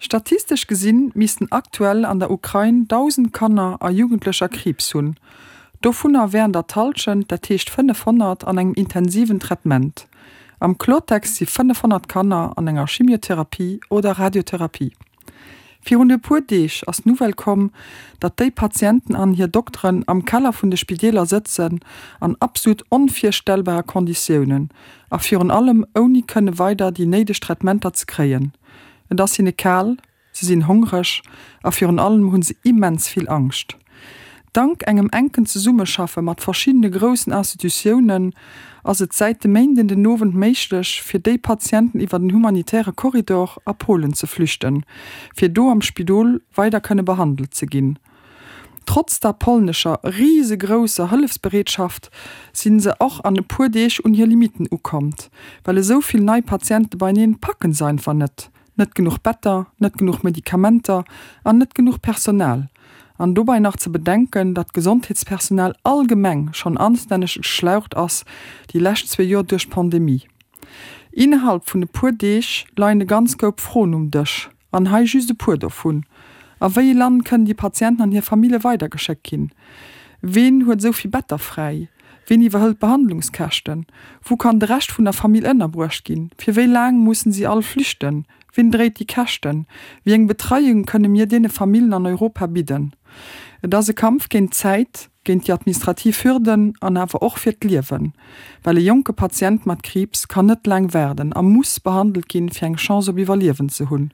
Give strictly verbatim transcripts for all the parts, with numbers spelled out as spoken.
Statistesch gesinn missten aktuell an der Ukrain dausend Kanner a Jugendlecher Kriibs hunn. Dovunner wären der d'Hallschent, dat heescht fënnefhonnert, an engem intensiven Traitement. Am Kloertext si fënnefhonnert Kanner an enger Chimiotherapie oder Radiotherapie. Virun e puer Deeg ass d'Nouvelle komm, datt déi Patienten an hir Dokteren am Keller vun de Spideeler sëtzen, an absolut onvirstellbare Konditiounen a virun allem ouni kënne weider déi néideg Traitementer ze kréien. Et ass hinne kal, se sinn hongreg a virun allem hu se immens vill Angscht. Dank engem enken Zesummeschaffe mat verschiddene groussen Institutiounen ass et säit de Méinden den Owend méiglech, fir déi Patienten iwwer den humanitäre Korridor a Polen ze flüchten, fir do am Spidol weider kënne behandelt ze ginn. Trotz der polnescher risegrousser Hëllefsbereetschaft si se och an e puer Deeg un hir Limitten ukomm, well esou vill nei Patiente beieneen packen se einfach net. Net genuch Better, net genuch Medikamenter an net genuch Personal. An dobäi nach ze bedenken, datt d'Gesondheetspersonal allgemeng schonn anstänneg geschlaucht ass déi lescht zwee Joer duerch d'Pandemie. Innerhalb vun e puer Deeg leien e ganz Koup Froen um Dësch. An hei just e puer dovun, A wéi ee Land kënnen déi Patienten an hir Famille weidergeschéckt ginn? Ween huet esou vill Better fräi? Ween iwwerhëlt d'Behandlungskäschten? Wou kann de Rescht vun der Famill ënnerbruecht ginn? Fir wéi laang mussen si all flüchten? Wien dréit déi Käschten? Wéi eng Betreiung kënne mir deene Famillen an Europa bidden? Et ass e Kampf géint d'Zäit, géint déi administrativ Hürden an awer och fir d'Liewen. Well e jonke Patient mat Kriibs kann net laang waarden a muss behandelt ginn, fir eng Chance op Iwwerliewen ze hunn.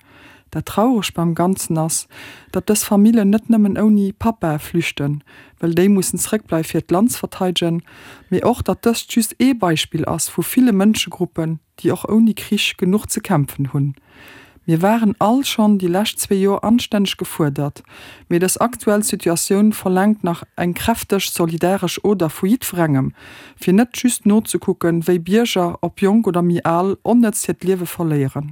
Dat Trauregt beim Ganzen ass, datt dës Famillen net nëmmen ouni Pappae flüchten, well déi mussen zréckbleiwe fir d'Land ze verteidegen, mee och datt dëst just ee Beispill ass vu ville Mënschegruppen, déi och ouni Krich genuch ze kämpfen hunn. Mir waren all schonn déi lescht zwee Joer anstänneg gefuerdert, mee dës aktuell Situatioun verlaangt nach eng kräfteg solidaresch Oder vu jiddwerengem, fir net just nozekucken, wéi Bierger, ob jonk oder méi al, onnëtz hiert Liewe verléieren.